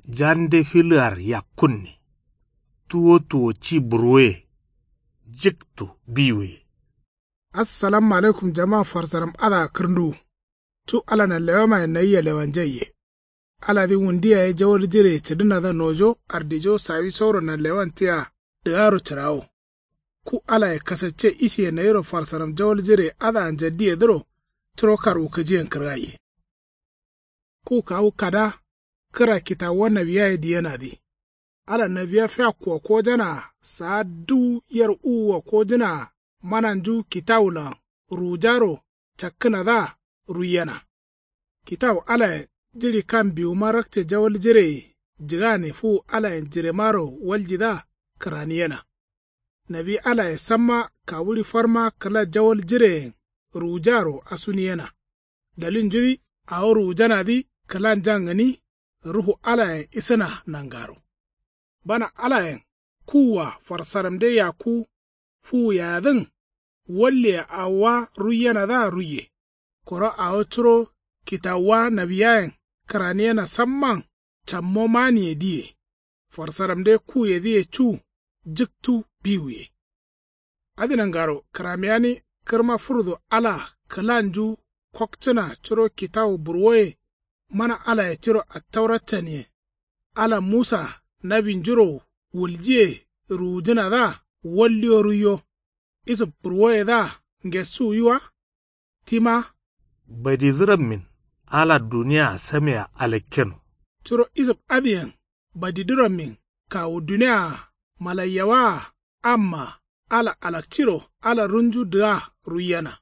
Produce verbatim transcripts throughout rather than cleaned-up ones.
Jande filəar yakkunne. Tuwo tuwo ci burwoye. Jiktu biwuye. Assalamu alaikum jama farsaram adǝa kǝrnduwu. Cu ala nanlewamaye nayia lewanjaiye. Aladǝ wundu yaye jawal jireye cǝdǝnadǝa nojo ardijo sawisoro nanlewan tia dǝgaro cǝrawo. Ku alaye kasacce isiye nayiro farsaram jawal jireye adǝa njaddiyedǝro curo karwukǝjiyen kǝrgaiye. Ku kawu kada kǝra kitawuwa nawiyaye diyenadǝ. Ala nawiya fiakkuwa kojanaa saa duwu yer uwua kojǝnaa mananju kitawulan ruwujaro cakkǝnadǝa ruiyena. Kitawu alayen jiɍi kam biwuma rakce jawal jireye jǝgane fuwu alayen jiremaro waljidǝa kǝraniyena. Nawi alaye samma kawuɍi farma kǝla jawal jireyen ruwujaro asuniyena. Dalilnjudǝ awo ruwujanadǝ kǝlanjan gǝni ruhu alayen isǝna nangaro. Bana alayen kuwua farsaramde yakku fuwuyayadǝn walliye awowa ruiyenadǝa ruiye. Koro awo curo kitawuwa nawiyayen kǝraniyena samman cammo maniye diye. Farsaramde kuyedǝye cu jǝktu biwuye. Adǝ nangaro kǝramiyani kǝrma fǝrdu ala kǝlanju kokcǝna curo kitawu burwoye mana alaye tiro attaura caniyen. Ala musa nawinjuro wuljiye ruwujǝnadǝa walliyo ruiyo. Isǝb burwoyedǝa ngessuwwi wa. Tima badidǝrammin ala duniyaa samea alakkeno. Curo isǝb adǝyen badidǝrammin kawu duniyaa malaiyawaa amma ala alakciro ala runju dǝga ruiyena.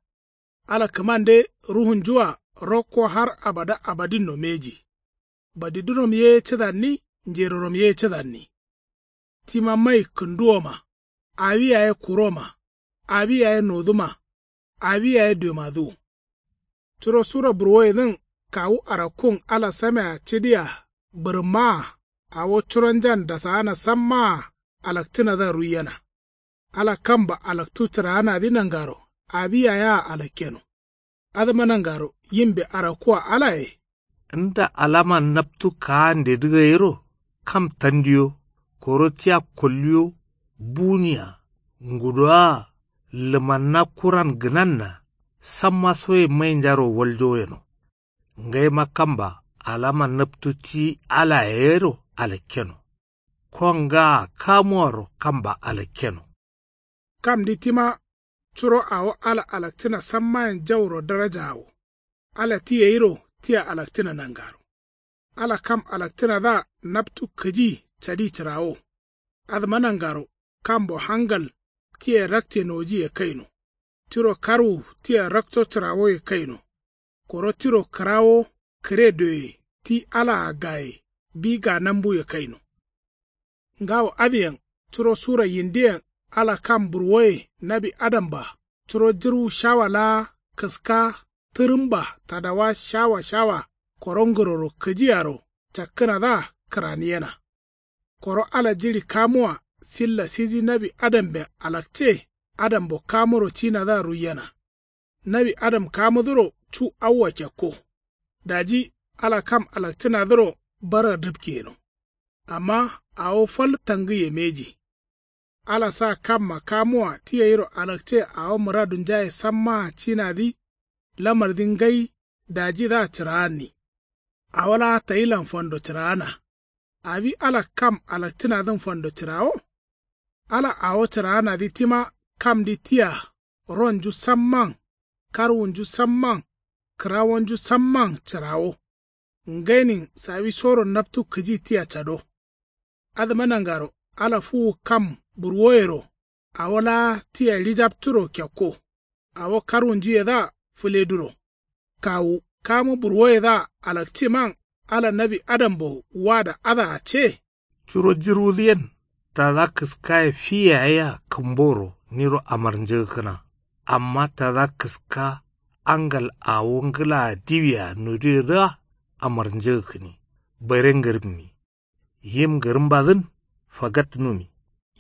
Ala kǝmande ruhunjua rokko har abada abadinno mbeji. Badidǝrom ye cǝdanni njerorom ye cǝdanni. Tima mai kǝnduwoma awi yaye kuroma awi yaye noduma awi yaye duemadǝwu. Curo sura burwoyedǝn kawu arakkun ala samea cǝdia bǝrǝmmaa awo curonjan dasaana sammaa alakcǝnadǝa ruiyena. Ala kamba alaktu cǝraanadǝ nangaro awi yayea alakkeno. Adǝma nangaro yimbe arakkua alaye. Nda alama naptu kaandedǝ gayiro kam tandiyo koro tia kolliyo buniya ngudoa lǝmanna kuran gǝnanna samma soye mainjaro waljo yeno. Ngaima kamba alama naptu ti alayero alakkeno. Kongaa kamuwaro kamba alakkeno. Kamdi tima curo awo ala alakcǝna sammayen jauro darajaawo. Ala ti gayiro tia alakcǝna nangaro. Ala kam alakcǝnadǝa naptu kǝji cadi cǝrawo. Adǝma nangaro kambo hangal tia rakce nojiye kaino. Tiro karwu tia rakco cǝrawoye kaino. Koro tiro kǝrawo kǝre doye ti alaa gaye bi ganambuye kaino. Ngawo adǝyen curo sura yindiyen ala kam burwoye nawi adamba curo jǝrwu shawa laa kǝska tǝrǝmba tadawa shawa shawa koro ngǝroro kǝjiyaro cakkǝnadǝa kǝraniyena. Koro ala jiɍi kamuwa silla siji nawi adamben alakce adambo kamuro cinadǝa ruiyena. Nawi adam kamudǝro cu awwa kekko. Daji ala kam alakcǝnadǝro barar dǝpke yeno. Amma awo fal tangǝye mbeji. Ala sa kamma kamuwa ti gayiro alakce awo mǝradunjaye sammaa cinadǝ lamardǝ ngai dajidǝa cǝraanni. Awo laa tayilan fando cǝraana. Awi ala kam alakcǝnadǝn fando cǝrawo. Ala awo cǝraanadǝ tima kamdǝ tia ronju samman karwunju samman kǝrawonju samman cǝrawo. Ngainin sawisoro naptu kǝji tia cado. Adǝma nangaro ala fuwu kam burwoyero awo laa tia ɍijapturo kekko. Awo karwunjuyedǝa fǝleduro. Kawu kamu burwoyedǝa alakciman ala nawi adambo wada adǝa ce. Curo jǝrwudǝ yen tada kǝskaye fi yaye yea kǝmboro niro amarnjǝgǝkkǝna. Amma tada kǝska angal awo ngǝlaa diwia noduyedǝa amarnjǝgǝkkǝni. Bare ngǝrǝmmi. Yim ngǝrǝmbadǝn fagatnumi.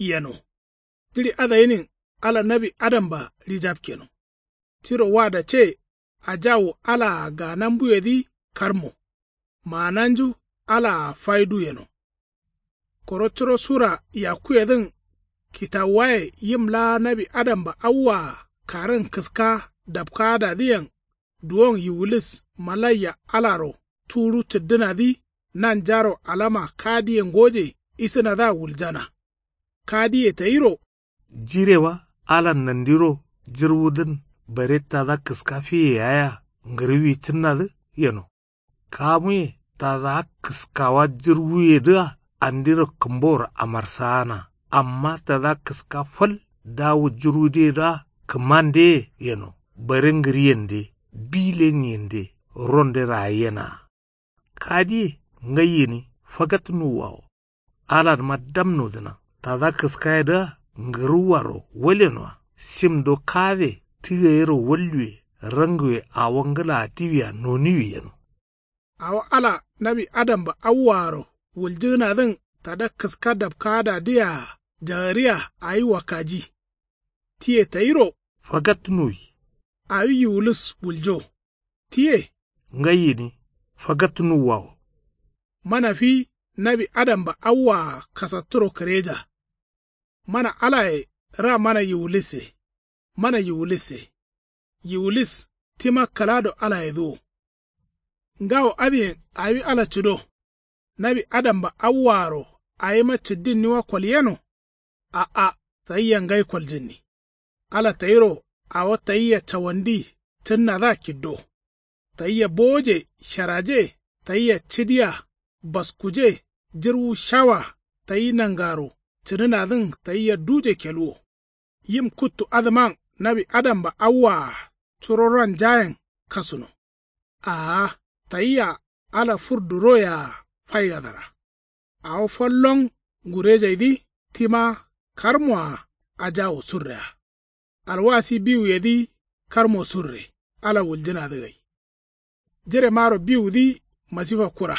Yeno. Jiɍi adagǝnin ala nawi adamba ɍijapkeno. Tiro wada ce ajawu alaa ganambuyedǝ karmo. Maananju alaa faidu yeno. Koro curo sura yakkuyedǝn kitawuwaye yim laa nawi adamba awwaa karǝn kǝska dapkaadadǝyen duwon yiwulis malaiya alaro tuwudu cǝddǝnadǝ nanjaro alama kadiye ngoje isǝnadǝa wuljana. Kadiye tayiro. Jirewa alan nandiro jirwudǝn bare tada kǝska fiye yayea ngǝrǝwi cǝnnadǝ yeno. Kamuye tada kǝskawa jirwuyedǝa andiro kǝmboro amarsaana. Amma tada kǝska fal dawu jirwudǝyedǝa kǝmandeye yeno bare ngǝriyende bi lenyiyende ronde raayenaa. Kadiye ngai gǝni fagat nuwwawo. Aladǝma dam nodǝna tada kǝskayedǝa ngǝrǝwwaro walenoa simdo kade ti gayero walluwe ranguwe awo ngǝlaa diwia noniwi yeno. Awo ala nawi adamba awwaaro wuljǝgǝnadǝn tada kǝska dapkaadadǝyea jagariya awi wakkaji. Tiye tayiro. Fagat nuwi. Awi yiwulis wuljo. Tiye. Ngai gǝni fagat nuwwawo. Mana fi nawi adamba awwaa kasatturo kǝreja. Mana alaye ra mana yiwulisse. Mana yiwulisse. Yiwulis tima kǝlado alayedǝ wo. Ngawo adǝyen awi ala cǝdo. Nawi adamba awwaaro awima cǝddinniwa kolyeno. A'a. Tayia ngai koljǝnni. Ala tayiro awo tayia cawandi cǝnnadǝa kiddo. Tayia bowoje sharaje tayia cǝdiya baskuje jirwu shawa tayi nangaro cǝdǝnadǝn tayia duje keluwo. Yim kuttu adǝman nawi adamba awwaa curo ranjayen kasuno. Aa. Tayia ala fur duroyea faigadara. Awo fallon ngurejaidǝ tima karmoa ajawu surrea. Alwasi biwuyedǝ karmo surre ala wuljǝnadǝ gai. Jiremaro biwudǝ masifa kura.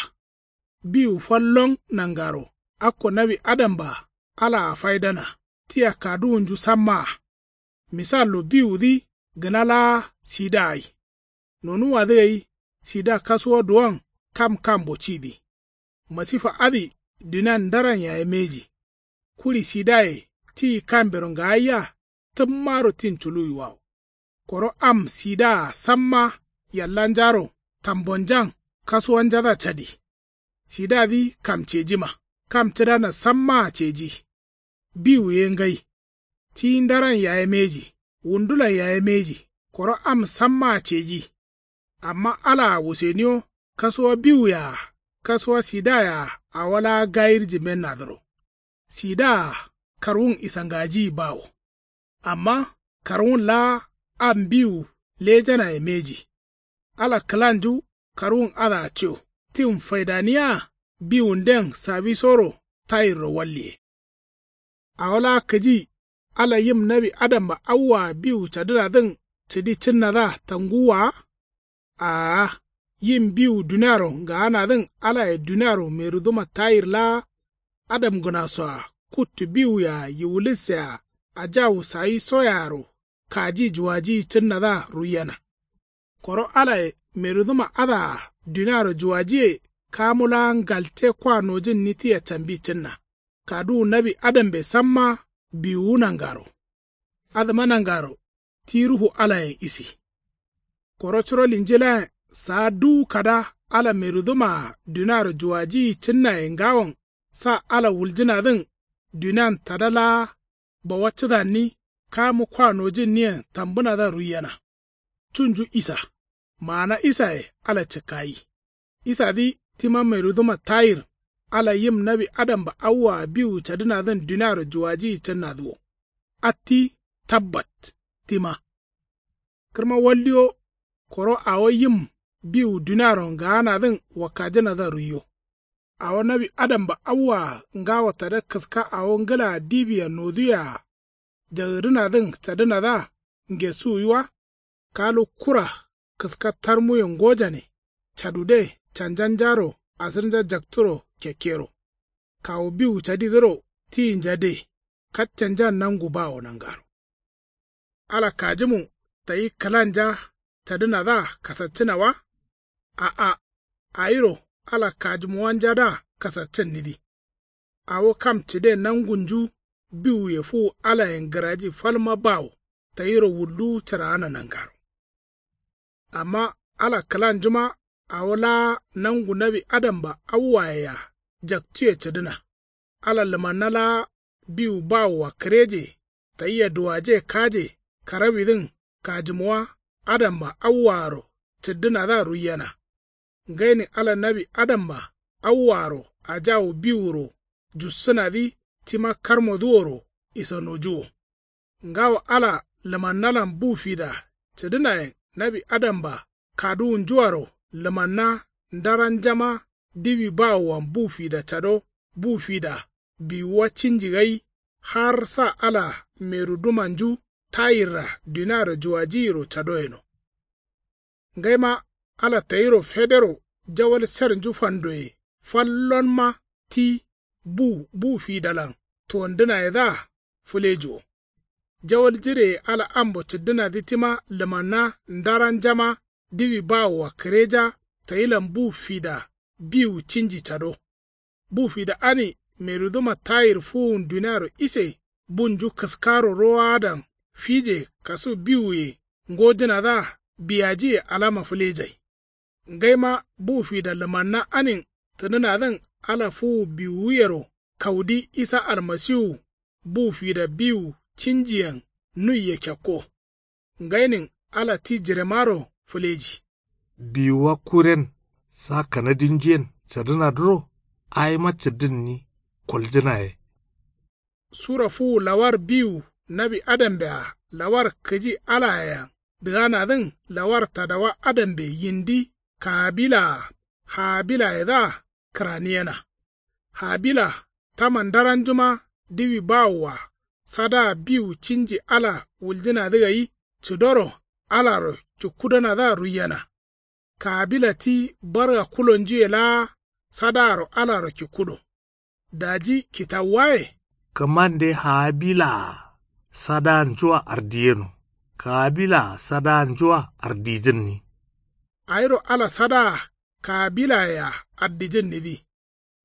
Biwu fallon nangaro akko nawi adamba alaa faidana tia kaduwunju sammaa. Misallo biwudǝ gǝna laa sida gai. Nonuwwadǝ gai sida kasuwa duwon kam kambo cidǝ. Masifa adǝ dunian ndaran yaye mbeji. Kuɍi sidaye ti kambero ngaayia tǝmmaro tin culuwiwawo. Koro am sidaa samma yallanjaro tambonjan kasuwanjadǝa cadi. Sidadǝ kam cejima kam cǝdana sammaa ceji. Biwu ye ngai. Ti ndaran yaye mbeji. Wundulan yaye mbeji. Koro am sammaa ceji. Amma alaa wuseniwo kasuwa biwuyea kasuwa sidayea awo laa gayirji mbennadǝro. Sidaa karwun isangajiyi bawo. Amma karwun laa am biwu lejanaye mbeji. Ala kǝlanju karwun adǝa co tin faidaniya biwunden sawisoro tayirro walliye. Awo laa kǝji ala yim nawi adamba awwaa biwu cadǝnadǝn cǝdi cǝnnadǝa tanguwwa wa. Aa. Yim biwu duniaro ngaanadǝn alaye duniaro meruduma tayir laa adamgǝnasoa kuttu biwuyea yiwulissea ajawu sawisoyearo kaji juwajiyi cǝnnadǝa ruiyena. Koro alaye merudǝma adǝa duniaro juwajiye kamu laa ngalte kwa nojǝnni tia cambi cǝnna. Kaduwu nawi adambe samma biwuwu nangaro. Adǝma nangaro ti ruhu alayen isi. Koro curo linjilayen saa duwu kada ala merudǝmaa duniaro juwajiyi cǝnnaye ngawon sa ala wuljǝnadǝn dunian tada laa bawa cǝdanni kamu kwa nojǝnniyen tambǝnadǝa ruiyena. Cunju isa. Maana isaye ala cǝkkayi. Isadǝ tima merudǝma tayir ala yim nawi adamba awwaa biwu cadǝnadǝn duniaro juwajiyi cǝnnadǝ wo. Atti tabbat tima. Kǝrma waldiyo. Koro awo yim biwu duniaro ngaanadǝn wakkajǝnadǝa ruiyo. Awo nawi adamba awwaa ngawo tada kǝska awo ngǝlaa diwia noduwea jagǝrǝnadǝn cadǝnadǝa ngesuwi wa. Kalu kura kǝska tarmuye ngojane cadude canjanjaro asǝrnja jakturo kekkero. Kawu biwu cadidǝro tiyinja de katcanjan nangu bawo nangaro. Ala kajǝmu tayi kǝlanja cadǝnadǝa kasaccǝna wa. A'a. Awiro ala kajǝmuwanjadǝa kasaccǝnnidǝ. awo kam cǝden nangunju biwuye fuwu alayen gǝraji falma bawo tayiro wulduwu cǝraana nangaro. Amma ala kǝlanjuma awo laa nangu nawi adamba awuwayea jaktuye cǝdǝna. Ala lǝmanna laa biwu bawoa kǝreje tayia duwaje kaje karawidǝn kajǝmowa adamba awuwaaro cǝddǝnadǝa ruiyena. Ngainin ala nawi adamba awuwaaro ajawu biwuro jussǝnadǝ tima karmodǝworo isanojuwo. Ngawo ala lǝmannalan bu fida cǝdǝnayen nawi adamba kaduwunjuaro lǝmanna ndaranjama diwi bawoan bu fida cado bu fida biwuwa cinji gai har sa ala merudumanju tayirra duniaro juwajiyiro cado yeno. Ngaima ala tayiro federo jawal sernju fandoye fallonma ti bu bu fidalan tuwandǝnayedǝa fǝlejuwo. Jawal jireye ala ambo cǝddǝnadǝ tima lǝmanna ndaranjama diwi bawoa kǝreja tayilan bu fida biwu cinji cado. Bu fida ani meruduma tayir fuwun duniaro ise bunju kǝskaro rowaadan fije kasu biwuye ngojǝnadǝa biyajiye alama fǝlejai. Ngaima bu fida lǝmanna anin tǝnǝnadǝn ala fuwu biwuyero kaudi isa almasiwu bu fida biwu cinjiyen nuiye kekko. Ngainin ala ti jiremaro fǝleji. Biwuwa kuren sa kanadinjuyen cǝdǝnadǝro awima cǝddǝnni koljǝnaye. Sura fuwu lawar biwu nawi adambea lawar kǝji alayean dǝganadǝn lawar tadawa adambe yindi kaabilaa haabilayedǝa kǝraniyena. Habila tama ndaranjuma diwi bawoa sadaa biwu cinji ala wuljǝnadǝ gai cǝdoro alaro cukkudonadǝa ruiyena. Kabila ti barga kulonjuye laa sadaaro alaro kikkudo. Daji kitawuwaye. Kǝmande habilaa sadaanjua ardiyeno kabilaa sadaanjua ardijǝnni. Awiro ala sadaa kabilayea ardijǝnnidǝ.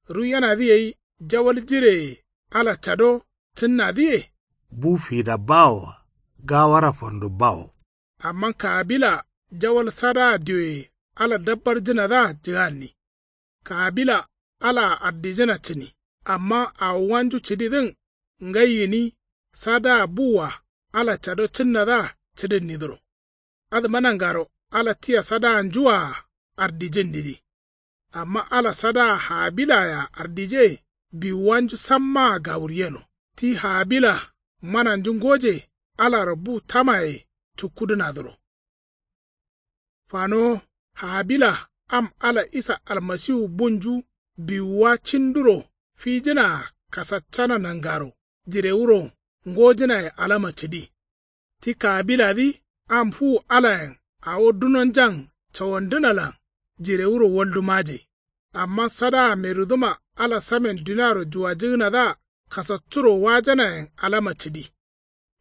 Ruiyenadǝ gai jawal jireye ala cado cǝnnadǝye. Bu fida bawoa gawara fando bawo. Amma kabila jawal sadaa dioye ala dabbarjǝnadǝa jǝganni. Kabila alaa ardijǝna cǝni amma awowonju cǝdidǝn ngai gǝni sadaa buwua ala cado cǝnnadǝa cǝdǝnnidǝro. Adǝma nangaro ala tia sadaanjuwaa ardijǝnnidǝ. Amma ala sadaa habilayea ardije biwuwanju sammaa gawuryeno ti habila mananju ngoje alaro bu tamaye cukkudǝnadǝro. Fanowo habila am ala isa almasiwu bunju biwuwa cinduro fijǝnaa kasaccana nangaro jirewuro ngojǝnaye alama cǝdi. Ti kabiladǝ am fuwu alayen awo dunonjan cawandǝnalan jirewuro waldumaje. Amma sadaa merudǝma ala samen duniaro juwajǝgǝnadǝa kasatturo wajanayen alama cǝdi.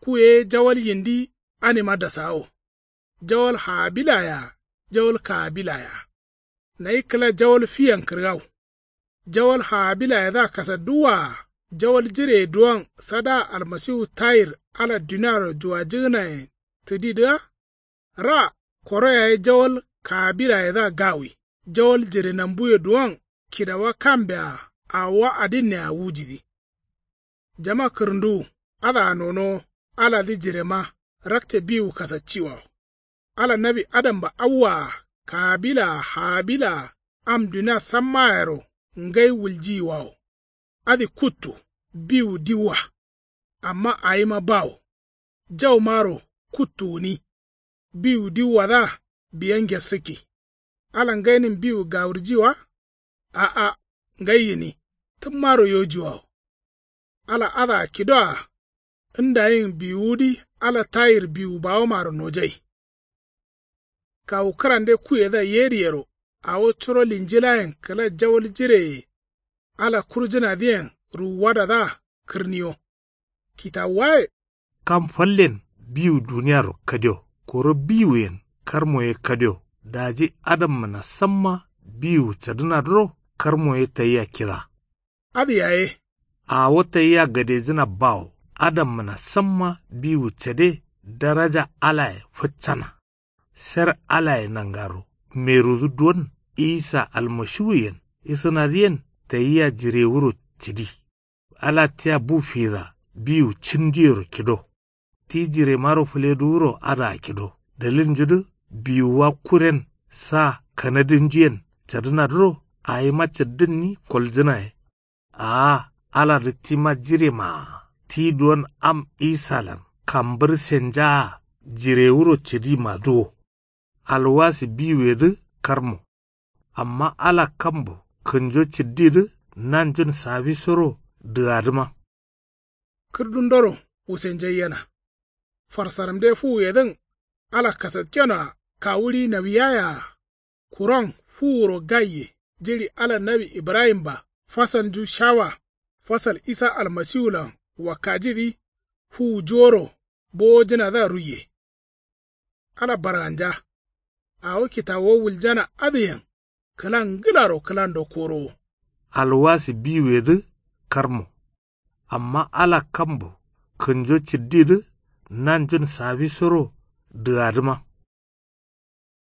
Ku ye jawal yindi anima dasawo. Jawal habilayea jawal kabilayea. Nayi kǝla jawal fiyen kǝrgaw. Jawal habilayedǝa kasadduwwaa jawal jireye duwon sadaa almasiwu tayir ala duniaro juwajǝgǝnayen tǝdidǝa. Ra koro yaye jawal kabilayedǝa gawi jawal jirenambuye duwon kidawa kambea awowa adinnea wujidǝ. Jama kǝrǝnduwu adǝa nonowo aladǝ jirema rakce biwu kasacciwawo. Ala nawi adamba awwaa kabilaa habilaa am dunia sammayero ngai wuljiyiwawo. Adǝ kuttu biwu diwwa. Amma awima bawo. Jaumaro kuttu gǝni. Biwu diwwadǝa biya ngessǝkki. Ala ngainin biwu gawurji wa? A'a. Ngai gǝni tǝmmaro yojuwawo. Ala adǝa kidoa ndayin biwuwudǝ ala tayir biwu bawomaro nojai. Kawu kǝrande kuyedǝa yeriyero awo curo linjilayen kǝla jawal jireye ala kurjǝnadǝyen ruwuwadadǝa kǝrniyo. Kitawuwaye. Kam fallen biwu duniaro kadio koro biwuyen karmo ye kadio daji adammǝna samma biwu cadǝnadǝro karmo ye tayia kida. Adǝ yaye Awo tayia gadejǝna bawo. Adammǝna samma biwu cade. Daraja alaye fǝccana. Ser alaye nangaro merudu duwon. Isa almashiwuyen isǝnadǝyen tayia jirewuro cǝdi. Ala tia bu fira biwu cǝndiyero kido. Ti jiremaro fǝleduwuro adǝa kido. Dalilnjudǝ biwuwa kuren sa kanadǝnjuyen cadǝnadǝro awima caddǝnni koljǝnaye. Aa aladǝ tima jiremaa. Ti duwon am isalan kambǝr senjaa jirewuro cǝdimadǝ wo. Alwasi biwuyedǝ karmo. Amma ala kambo kǝnjo cǝddidǝ nanjun sawisoro dǝgadǝma. Kǝrdundoro wusenjaiyena. Farsaramde fuwuyedǝn ala kasatkenoa kawuɍi nawiyaye-a. Kuron fuwuro gaiye jiɍi ala nawi ibrahim-ba fasalnju shawa. Fasal isa almasiwulan wakkajidǝ fuwujuworo bowojǝnadǝa ruiye. Ala barganja. Awo kitawo wuljana adǝyen kǝla ngǝlaro kǝlando korowo. Alwasi biwuyedǝ karmo. Amma ala kambo kǝnjo cǝddidǝ nanjun sawisoro dǝgadǝma.